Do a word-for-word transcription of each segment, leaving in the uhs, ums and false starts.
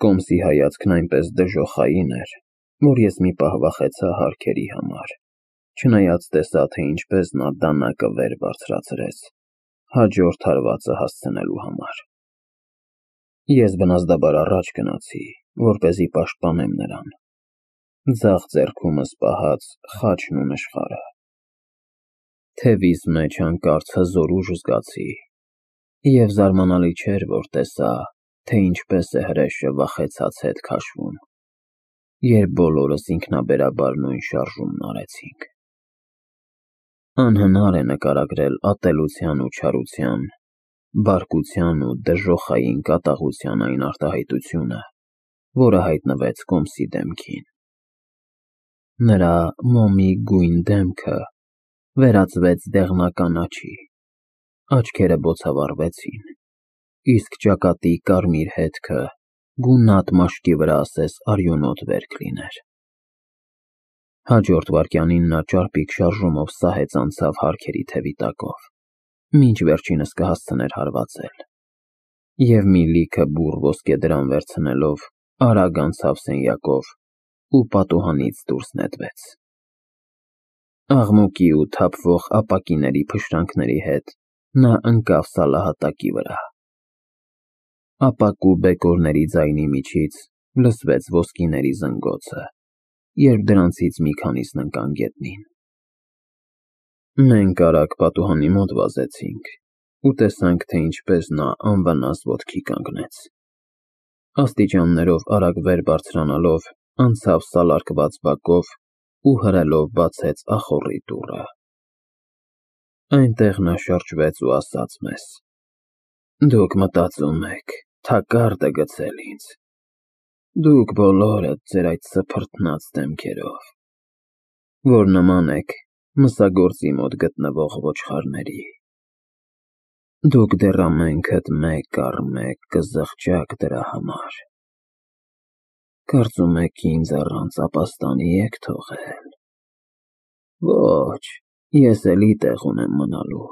Կոմսի հայացքն այնպես դժոխային էր, որ ես մի պահ վախեցա հարքերի համար, չնայած տեսա, թե ինչպես նա դանակը վեր բարձրացրեց, հաջորդ հարվածը հասցնելու համար։ Ես բնազդաբար առաջ գնացի, որպեսզի պաշտպանեմ նրան, ձախ ձեռքումս պահած խաչն ու նշխարը։ Թևիս մեջ հանկարծ հզոր ուժ զգացի, և զարմանալի չէր, որ տեսա, թե ինչպես է հրեշը վախեցած հետ քաշվում, երբ բոլորս ինքնաբերաբար նույն շարժումն արեցինք։ Անհնար է նկարագրել ատելության ու չարության, բարկության ու դժոխային կատաղության այն արտահայտությունը, որը հայտնվեց Կոմսի դեմքին։ Նրա մոմի գույն դեմքը վերածվեց դեղնական աջի, աչքերը բոցավառվեցին, իսկ ճակատի կարմիր հետքը գունատ մաշկի վրա ասես արյունոտ վերք լիներ։ Հաջորդ վայրկյանին նա ճարպիկ շարժումով սահեց անցավ հարքերի թևի տակով, մինչ վերջինս կհասցներ հարվածել, և մի լիքը բուռ ոսկեդրամ վերցնելով արագ անցավ սենյակով ու պատուհանից դուրս նետվեց։ Աղմուկի ու թափվող ապակիների փշրանքների հետ նա ընկավ սալահատակի վրա։ Ապակու բեկորների ձայնի միջից լսվեց ոսկիների զնգոցը, երբ դրանցից մի քանիսն ընկան գետնին։ Մենք արագ պատուհանի մոտ վազեցինք ու տեսանք, թե ինչպես նա անվնաս ոտքի կանգնեց։ Աստիճաններով արագ վեր բարձրանալով անցավ սալարկված բակով ու հրելով բացեց ախոռի դուռը։ Այնտեղ նա շրջվեց ու ասաց մեզ. «Դուք մտածում եք թակարդ է գցել ինձ, դուք բոլորդ ձեր այդ սփռտնաց դեմքերով, որ նման եք մսագործի մոտ գտնվող ոչխարների։ Դուք դեռ ամենքդ մեկ առ մեկ կզղջաք դրա համար։ Կարծում եք ինձ առանց ապաստանի եք թողել։ Ոչ, ես էլի տեղ ունեմ մնալու։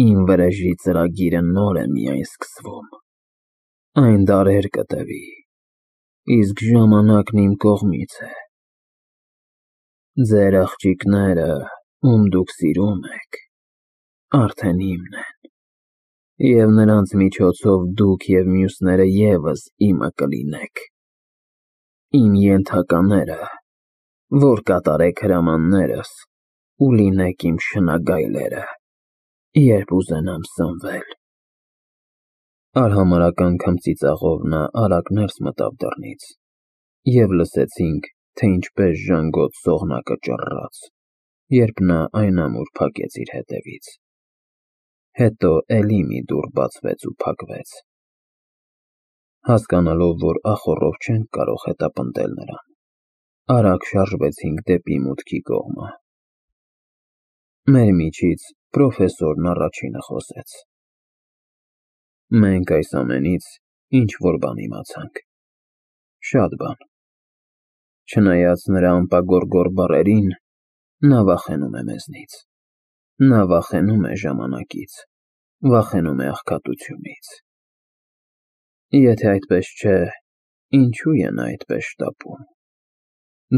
Իմ վրեժի ծրագիրը նոր է միայն սկսվում, այն դարեր կտևի, իսկ ժամանակն իմ կողմից է։ Ձեր աղջիկները, ում դուք սիրում եք, արդեն իմն են, և նրանց միջոցով դուք և մյուսները ևս իմը կլինեք։ Իմ ենթակաները, որ կատարեք հրամաններս ու լինեք իմ շնագայլերը, երբ ուզենամ սնվել»։ Արհամարհական քմծիծաղով նա արագ ներս մտավ դռնից, և լսեցինք, թե ինչպես ժանգոտ սողնակը ճռռաց, երբ նա այն ամուր փակեց իր հետևից։ Հետո էլի մի դուռ բացվեց ու փակվեց։ Հասկանալով, որ ախոռով չենք կարող հետապնդել նրան, արագ շարժվեցինք դեպի մուտքի կողմը։ Մեր միջից պրոֆեսորն առաջինը խոսեց. «Մենք այս ամենից ինչ-որ բան իմացանք, շատ բան։ Չնայած նրա անպագորգոր բառերին, նա վախենում է մեզնից, նա վախենում է ժամանակից, վախենում է աղքատությունից։ Եթե այդպես չէ, ինչու է նա այդպես շտապում։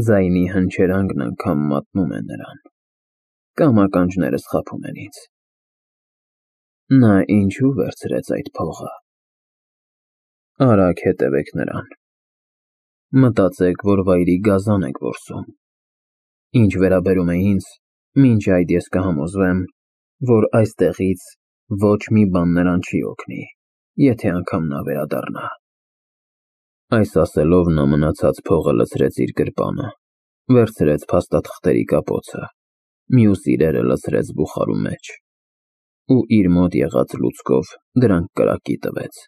Ձայնի հնչերանգն անգամ մատնում է նրան, կամ ականջները սխափում են ինձ։ Նա ինչու վերցրեց այդ փողը։ Արագ հետևեք նրան։ Մտածեք, որ վայրի գազան եք որսում։ Ինչ վերաբերում է ինձ, մինչ այդ ես կհամոզվեմ, որ այստեղից ոչ մի բան նրան չի օգնի, եթե անգամ նա վերադառնա»։ Այս ասելով նա մնացած փողը լցրեց իր գրպանը, վերցրեց փաստաթղթերի կապոցը, մյուս իրերը լցրեց բուխարու մեջ ու իր մոտ եղած լուցկով դրանք կրակի տվեց։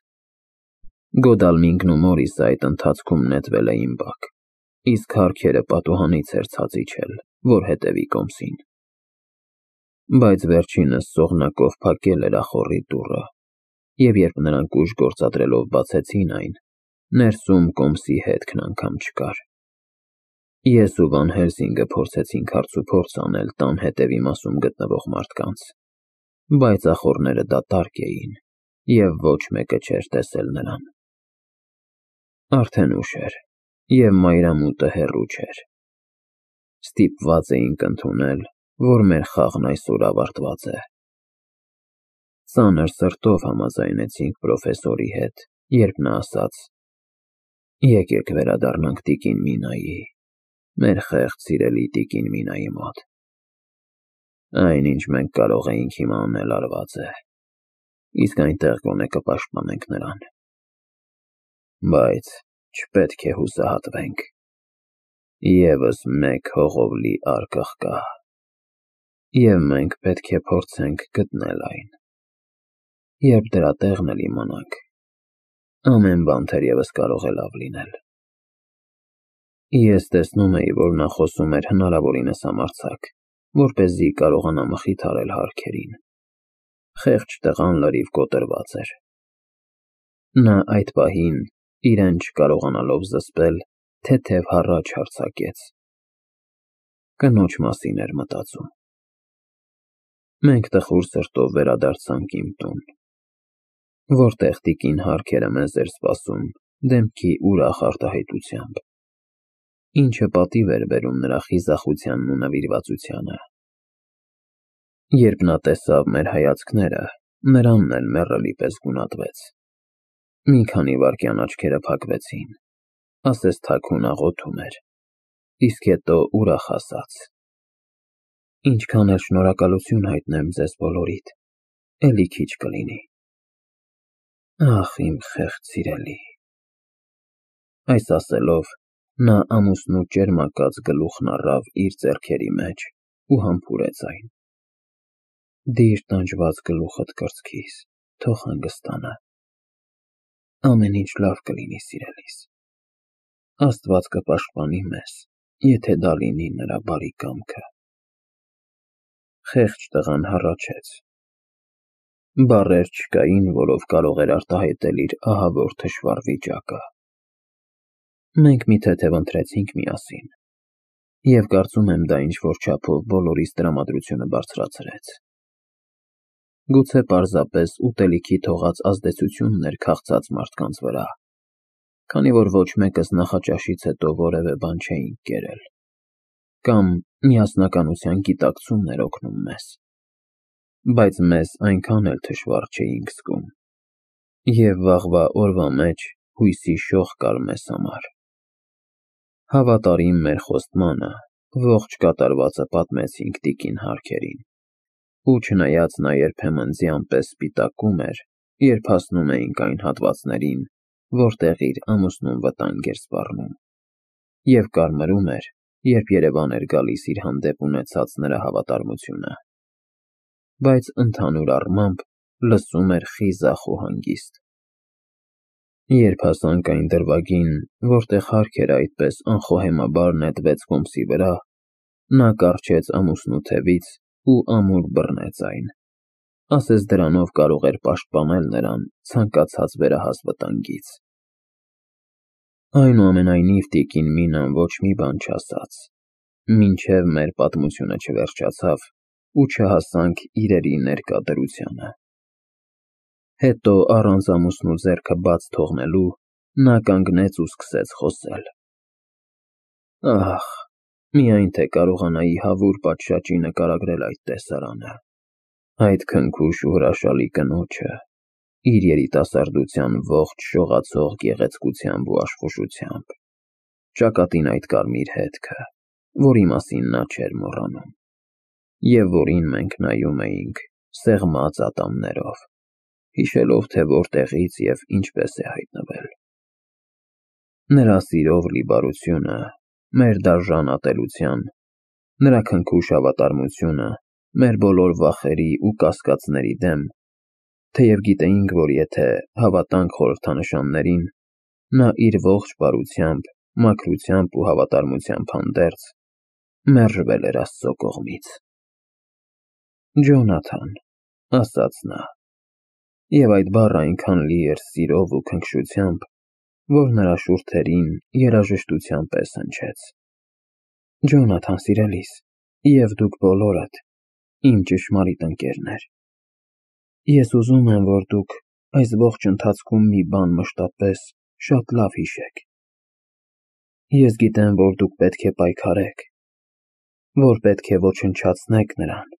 Գոդալմինգն ու Մորիսը այդ ընթացքում նետվել էին բակ, իսկ հարքերը պատուհանից էր ցած իջել, որ հետևի Կոմսին։ Բայց վերջինս սողնակով փակել էր ախոռի դուռը, և երբ նրանք ուժ գործադրելով բացեցին այն, ներսում Կոմսի հետքն անգամ չկար։ Ես ու Վան Հելսինգը փորձեցինք հարցուփորձ անել տան հետևի մասում գտնվող մարդկանց, բայց ախոռները դատարկ էին, և ոչ մեկը չէր տեսել նրան։ Արդեն ուշ էր, և մայրամուտը հեռու չէր։ Ստիպված էինք ընդունել, որ մեր խաղն այսօր ավարտված է։ Ծանր սրտով համաձայնեցինք պրոֆեսորի հետ, երբ նա ասաց. «Եկեք վերադառնանք տիկին Մինայի, մեր խեղճ սիրելի տիկին Մինայի մոտ։ Այն, ինչ մենք կարող էինք հիմա անել, արված է, իսկ այնտեղ գոնե կպաշտպանենք նրան։ Բայց չպետք է հուսահատվենք։ Եվս մեկ հողով լի արկղ կա, և մենք պետք է փորձենք գտնել այն։ Երբ դրա տեղն էլ իմանանք, ամեն բան թերևս կարող է լավ լինել»։ Ես տեսնում էի, որ նա խոսում էր հնարավորինս համարձակ, որպեսզի կարողանա մխիթարել հարքերին։ Խեղճ տղան լրիվ կոտրված էր։ Նա այդ պահին, իրեն չկարողանալով զսպել, թեթև հառաչ արձակեց։ Կնոջ մասին էր մտածում։ Մենք տխուր սրտով վերադարձանք իմ տուն, որտեղ տիկին Հարքերը մեզ էր սպասում դեմքի ուրախ արտահայտությամբ, ինչը պատիվ էր բերում նրա խիզախությանն ու նվիրվածությանը։ Երբ նա տեսավ մեր հայացքները, նրանն էլ մեռելի պես գունատվեց։ Մի քանի վայրկյան աչքերը փակվեցին, ասես թաքուն աղոթում էր, իսկ հետո ուրախ ասաց. «Ինչքան էլ շնորհակալություն հայտնեմ ձեզ բոլորիդ, էլի քիչ կլինի։ Ախ, իմ խեղճ սիրելի»։ Այս ասելով, նա ամուսնու ճերմակած գլուխն առավ իր ձեռքերի մեջ ու համբուրեց այն։ «Դիր տանջված գլուխդ կրծքիս, թող հանգստանա։ Ամեն ինչ լավ կլինի, սիրելիս։ Աստված կպաշտպանի մեզ, եթե դա լինի նրա բարի կամքը»։ Խեղճ տղան հառաչեց։ Բառեր չկային, որով կարող էր արտահայտել իր ահավոր թշվառ վիճակը։ Մենք մի թեթև ընթրեցինք միասին, և կարծում եմ դա ինչ-որ չափով բոլորիս տրամադրությունը բարձրացրեց։ Գուցե պարզապես ուտելիքի թողած ազդեցությունն էր քաղցած մարդկանց վրա, քանի որ ոչ մեկս նախաճաշից հետո որևէ բան չէինք կերել, կամ միասնականության գիտակցումն էր օգնում մեզ, բայց մեզ այնքան էլ թշվառ չէինք զգում, և վաղվա օրվա մեջ հույսի շող կար մեզ համար։ Հավատարիմ մեր խոստմանը, ողջ կատարվածը պատմեցինք տիկին Հարքերին, ու չնայած նա երբեմն ձյան պես սպիտակում էր, երբ հասնում էինք այն հատվածներին, որտեղ իր ամուսնուն վտանգ էր սպառնում, և կարմրում էր, երբ երևան էր գալիս իր հանդեպ ունեցած նրա հավատարմությունը, բայց ընդհանուր առմամբ լսում էր խիզախ ու հանգիստ։ Երբ հասանք այն դրվագին, որտեղ Հարքերը այդպես անխոհեմաբար նետվեց կոմսի վրա, նա կառչեց ամուսնու թևից ու ամուր բռնեց այն, ասես դրանով կարող էր պաշտպանել նրան ցանկացած վերահաս վտանգից։ Այնուամենայնիվ տիկին Մինան ոչ մի բան չասաց, մինչև մեր պատմությունը չվերջացավ ու չհասանք իրերի ներկա դրությանը։ Հետո, առանց ամուսնու ձեռքը բաց թողնելու, նա կանգնեց ու սկսեց խոսել։ Ահ, միայն թե կարողանայի հավուր պատշաճի նկարագրել այդ տեսարանը, այդ քնքուշ ու հրաշալի կնոջը, իր երիտասարդության ողջ շողացող գեղեցկությամբ ու աշխուժությամբ, ճակատին այդ կարմիր հետքը, որի մասին նա չէր մոռանում, և որին մենք նայում էինք սեղմած ատամներով, հիշելով, թե որտեղից և ինչպես է հայտնվել։ Նրա սիրով լի բարությունը, մեր դաժան ատելության, նրա քնքուշ հավատարմությունը մեր բոլոր վախերի ու կասկածների դեմ, թեև գիտեինք, որ եթե հավատանք խորհրդանշաններին, նա իր ողջ բարությամբ, մաքրությամբ ու հավատարմությամբ հանդերձ, մերժվել էր Աստծո կողմից։ «Ջոնաթան», ասաց նա, և այդ բառը այնքան լի էր սիրով ու քնքշությամբ, որ նրա շուրթերին երաժշտության պես հնչեց։ «Ջոնաթան սիրելիս, և դուք բոլորդ, իմ ճշմարիտ ընկերներ, ես ուզում եմ, որ դուք այս ողջ ընթացքում մի բան մշտապես շատ լավ հիշեք։ Ես գիտեմ, որ դուք պետք է պայքարեք, որ պետք է ոչնչացնեք նրան,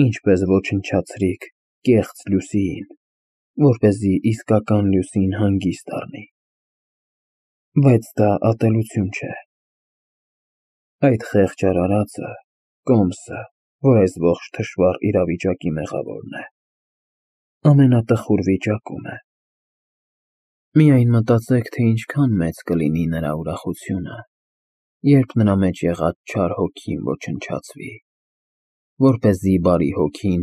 ինչպես ոչնչացրիք կեղծ Լուսիին, որպեսզի իսկական Լուսին հանգիստ առնի։ Բայց դա ատելություն չէ։ Այդ խեղճ արարածը, Կոմսը, որ այս ողջ թշվառ իրավիճակի մեղավորն է, ամենատխուր վիճակում է։ Միայն մտածեք, թե ինչքան մեծ կլինի նրա ուրախությունը, երբ նրա մեջ եղած չար հոգին ոչնչացվի, որպեսզի բարի հոգին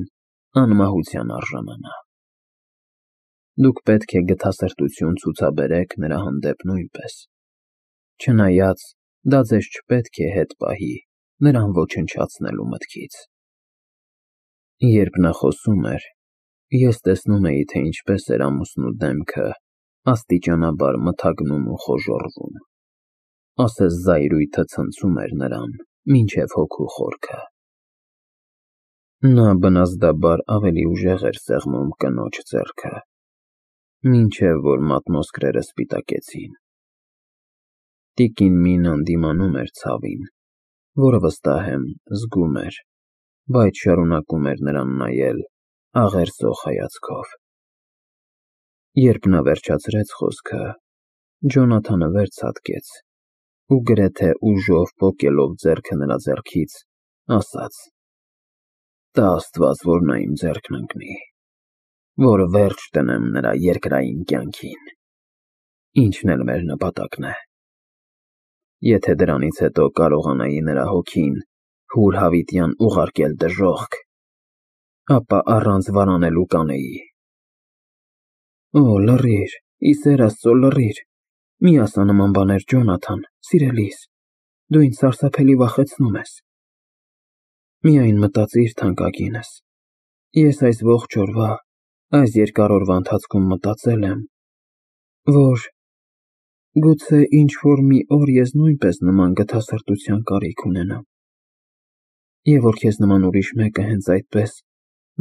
անմահության արժանանա։ Դուք պետք է գթասրտություն ցուցաբերեք նրա հանդեպ նույնպես, չնայած դա ձեզ չպետք է հետ պահի նրան ոչնչացնելու մտքից։ Երբ նա խոսում էր, ես տեսնում էի, թե ինչպես էր ամուսնու դեմքը աստիճանաբար մթագնում ու խոժոռվում, ասես զայրույթը ցնցում էր նրան մինչև հոգու խորքը։ Նա բնազդաբար ավելի ուժեղ էր սեղմում կնոջ ձեռքը, մինչև որ մատնոսկրերը սպիտակեցին։ Տիկին Մինան դիմանում էր ցավին, որը վստահ եմ զգում էր, բայց շարունակում էր նրան նայել աղերսող հայացքով։ Երբ նա վերջացրեց խոսքը, Ջոնաթանը վերցատկեց ու գրեթե ուժով պոկելով ձեռքը նրա ձեռքից, ասաց. «Տա Աստված, որ նա իմ ձեռքն ընկնի, որ վերջ տնեմ նրա երկրային կյանքին, ինչն էլ մեր նպատակն է։ Եթե դրանից հետո կարողանայի նրա հոգին հուրհավիտյան ուղարկել դժոխք, ապա առանց վարանելու կանեի»։ Օ, լռիր, ի սեր Աստծո, լռիր, մի ասա նման բաներ, Ջոնաթան, սիրելիս, դու ինձ սարսափելի վախեցնում ես։ Միայն մտածիր, թանկագինս, ես այս ողջ օրվա, այս երկար օրվա ընթացքում մտածել եմ, որ գուցե ինչ-որ մի օր ես նույնպես նման գթասրտության կարիք ունենամ, և որ քեզ նման ուրիշ մեկը հենց այդպես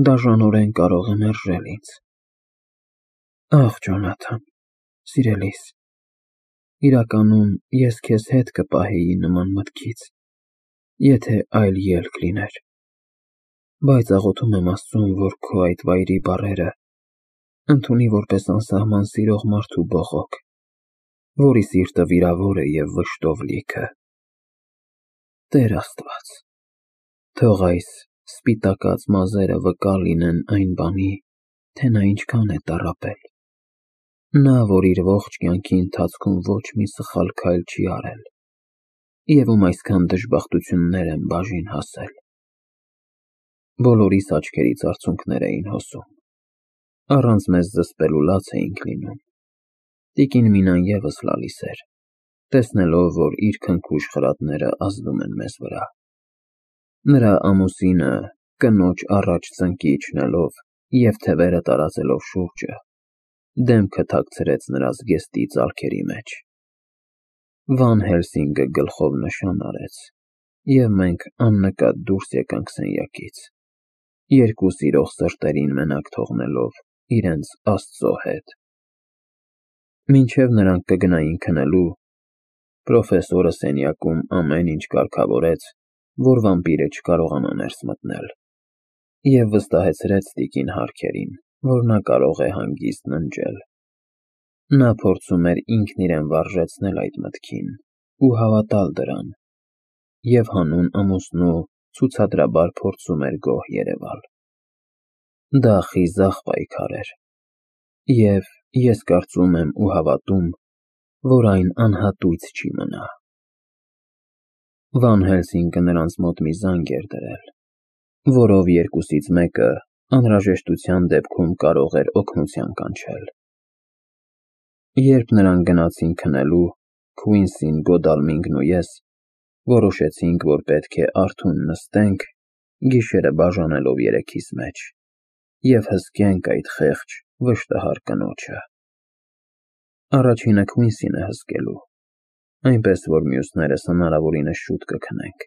դաժանորեն կարող է մերժել ինձ։ Ախ, Ջոնաթան, սիրելիս, իրականում ես քեզ հետ կպահեի նման մտքից, եթե այլ ելք լիներ, բայց աղոթում եմ Աստծուն, որ քո այդ վայրի բառերը ընդունի որպես անսահման սիրող մարդու բողոք, որի սիրտը վիրավոր է և վշտով լիքը։ Տեր Աստված, թող այս սպիտակած մազերը վկա լինեն այն բանի, թե նա ինչքան է տառապել։ Նա, որ իր ողջ կյանքի ընթացքում ոչ մի սխալ քայլ չի արել, և ում այսքան դժբախտություններ են բաժին հասել։ Բոլորիս աչքերից արցունքներ էին հոսում, առանց մեզ զսպելու լաց էինք լինում։ Տիկին Մինան ևս լալիս էր, տեսնելով, որ իր քնքուշ խրատները ազդում են մեզ վրա։ Նրա ամուսինը, կնոջ առաջ ծնկի իջնելով և թևերը տարածելով շուրջը, դեմքը թաքցրեց նրա զգեստի ծալքերի մեջ։ Վան Հելսինգը գլխով նշան արեց, և մենք աննկատ դուրս եկանք սենյակից, երկու սիրող սրտերին մենակ թողնելով իրենց Աստծո հետ։ Մինչև նրանք կգնային քնելու, պրոֆեսորը սենյակում ամեն ինչ կարգավորեց, որ վամպիրը չկարողանա ներս մտնել, և վստահեցրեց տիկին Հարքերին, որ նա կարող է հանգիստ ննջել։ Նա փորձում էր ինքն իրեն վարժեցնել այդ մտքին ու հավատալ դրան, և հանուն ամուսնու ցուցադրաբար փորձում էր գոհ երևալ։ Դա խիզախ պայքար էր, և ես կարծում եմ ու հավատում, որ այն անհատույց չի մնա։ Վան Հելսինգը նրանց մոտ մի զանգ էր դրել, որով երկուսից մեկը անհրաժեշտության դեպքում կարող էր օգնության կանչել։ Երբ նրանք գնացին քնելու, Քվինսին, Գոդալմինգն ու ես որոշեցինք, որ պետք է արթուն նստենք, գիշերը բաժանելով երեքիս մեջ, և հսկենք այդ խեղճ, վշտահար կնոջը։ Առաջինը Քվինսին է հսկելու, այնպես որ մյուսներս հնարավորինս շուտ կքնենք։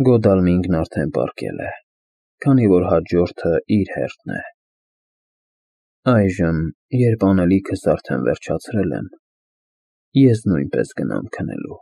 Գոդալմինգն արդեն պառկել է, քանի որ հաջորդը իր հերթն է։ Այժմ, երբ անելիքս արդեն վերջացրել եմ, ես նույնպես կգնամ քնելու։